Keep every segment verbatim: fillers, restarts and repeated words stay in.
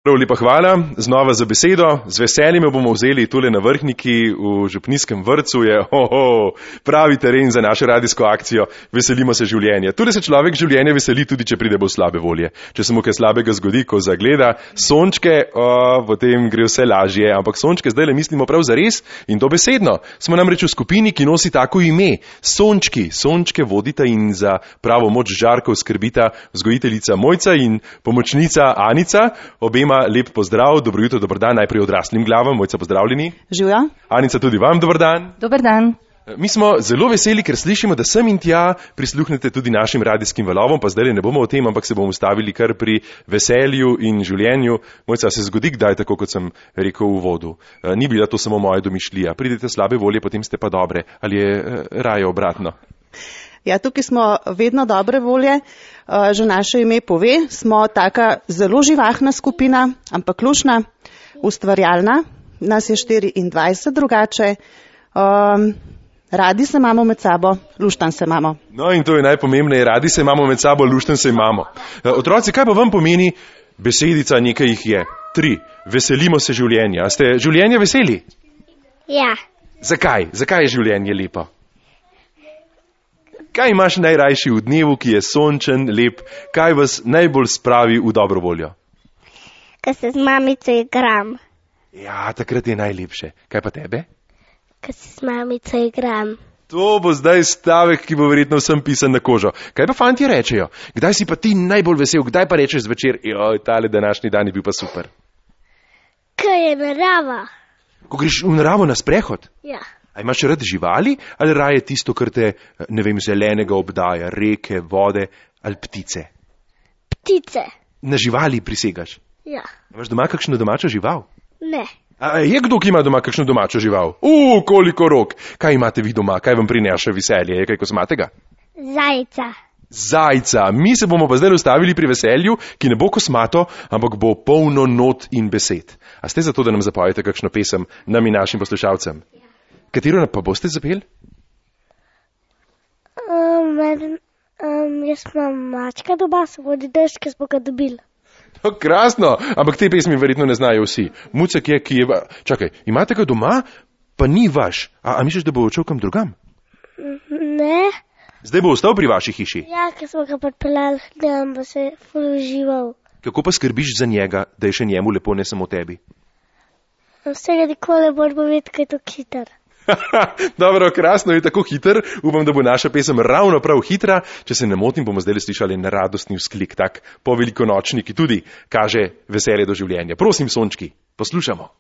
Prav lepa hvala, znova za besedo. Z veseljem jo bomo vzeli tule na Vrhniki v župnijskem vrtcu. Je oho, pravi teren za našo radijsko akcijo. Veselimo se življenja. Tule se človek življenja veseli, tudi če pride bolj slabe volje. Če se mu kaj slabega zgodi, ko zagleda sončke, o, potem gre vse lažje. Ampak sončke zdaj le mislimo prav zares in dobesedno. Smo namreč v skupini, ki nosi tako ime. Sončki. Sončke vodita in za pravo moč žarkov skrbita vzgojiteljica Mojca in pomočnica Anica. Obema lep pozdrav, dobro jutro, dober dan, najprej odraslim glavam. Mojca, pozdravljeni. Živjo. Anica, tudi vam dober dan. Dober dan. Mi smo zelo veseli, ker slišimo, da sem in tja prisluhnete tudi našim radijskim valovom, pa zdaj ne bomo o tem, ampak se bomo ustavili kar pri veselju in življenju. Mojca, se zgodi kdaj, tako kot sem rekel v uvodu. Ni bila to samo moja domišljija. Pridete slabe volje, potem ste pa dobre. Ali je raje obratno? Ja, tukaj smo vedno dobre volje. Že naše ime pove, smo taka zelo živahna skupina, ampak luštna, ustvarjalna. Nas je štiriindvajset drugače. Um, radi se imamo med sabo, luštan se imamo. No in to je najpomembneje, radi se imamo med sabo, luštan se imamo. Otroci, kaj pa vam pomeni besedica, nekaj jih je? Tri. Veselimo se življenja. A ste življenja veseli? Ja. Zakaj? Zakaj je življenje lepo? Kaj imaš najrajši v dnevu, ki je sončen, lep? Kaj vas najbolj spravi v dobro voljo? Ko se z mamico igram. Ja, takrat je najlepše. Kaj pa tebe? Ko se z mamico igram. To bo zdaj stavek, ki bo verjetno vsem pisan na kožo. Kaj pa fantje rečejo? Kdaj si pa ti najbolj vesel? Kdaj pa rečeš zvečer, joj, tale današnji dan je bil pa super? Ko je narava. Ko greš v naravo na sprehod? Ja. A imaš rad živali ali raje tisto, kar te, ne vem, zelenega obdaja, reke, vode ali ptice? Ptice. Na živali prisegaš? Ja. Imaš doma kakšno domačo žival? Ne. A je kdo, ki ima doma kakšno domačo žival? Uuu, koliko rok! Kaj imate vi doma? Kaj vam prinaša veselje? Je kaj kosmatega? Zajca. Zajca. Mi se bomo pa zdaj ustavili pri veselju, ki ne bo kosmato, ampak bo polno not in besed. A ste za to, da nam zapojete kakšno pesem, nam in našim poslušalcem? Ja. Katero pa boste zapeli? Um, um, jaz imam mačka doma, se vodi dež, ki smo ga dobili. No, krasno, ampak te pesmi verjetno ne znajo vsi. Mucek je, ki je... Čakaj, imate ga doma, pa ni vaš. A, a misliš, da bo odšel kam drugam? Ne. Zdaj bo ostal pri vaši hiši? Ja, ker smo ga pripeljali, da bo se ful užival. Kako pa skrbiš za njega, da je še njemu lepo, ne samo tebi? Vsega nikoli moramo vedeti, kaj je to hiter. Dobro, krasno je tako hiter. Upam, da bo naša pesem ravno prav hitra. Če se ne motim, bomo zdaj slišali na radostni vzklik, tak po velikonočni, ki tudi kaže veselje do življenja. Prosim, sončki, poslušamo.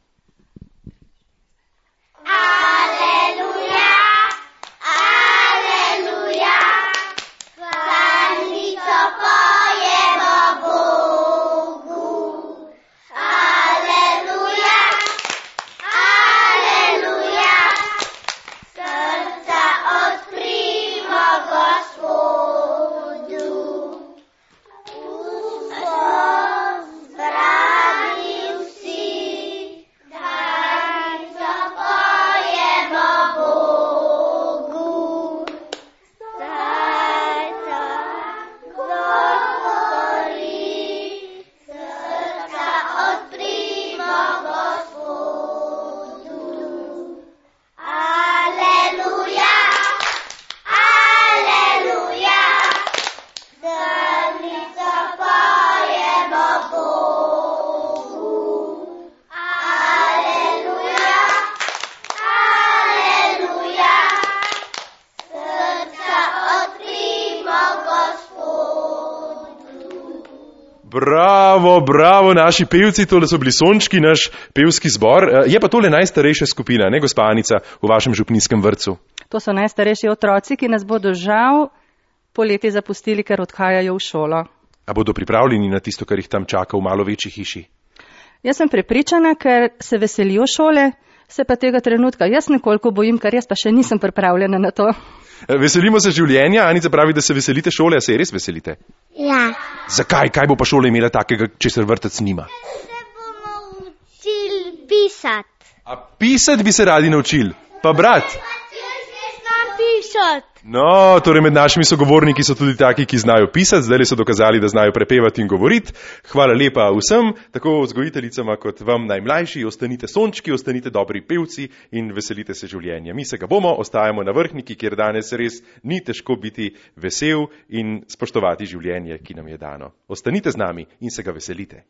Bravo, bravo, naši pevci, tole so bili sončki, naš pevski zbor. Je pa tole najstarejša skupina, ne gospa Anica, v vašem župnijskem vrtcu? To so najstarejši otroci, ki nas bodo žal poleti zapustili, ker odhajajo v šolo. A bodo pripravljeni na tisto, kar jih tam čaka v malo večji hiši? Jaz sem prepričana, ker se veselijo šole, se pa tega trenutka jaz nekoliko bojim, ker jaz pa še nisem pripravljena na to. Veselimo se življenja. Anica pravi, da se veselite šole, a se res veselite? Ja. Zakaj? Kaj bo pa šola imela takega, česar vrtec nima? Se bomo učili pisati. A pisati bi se radi naučili? Pa brat? Jaz ne znam pisati. No, torej med našimi sogovorniki so tudi taki, ki znajo pisati, zdaj so dokazali, da znajo prepevati in govoriti. Hvala lepa vsem, tako vzgojiteljicama kot vam najmlajši, ostanite sončki, ostanite dobri pevci in veselite se življenja. Mi se ga bomo, ostajamo na Vrhniki, kjer danes res ni težko biti vesel in spoštovati življenje, ki nam je dano. Ostanite z nami in se ga veselite.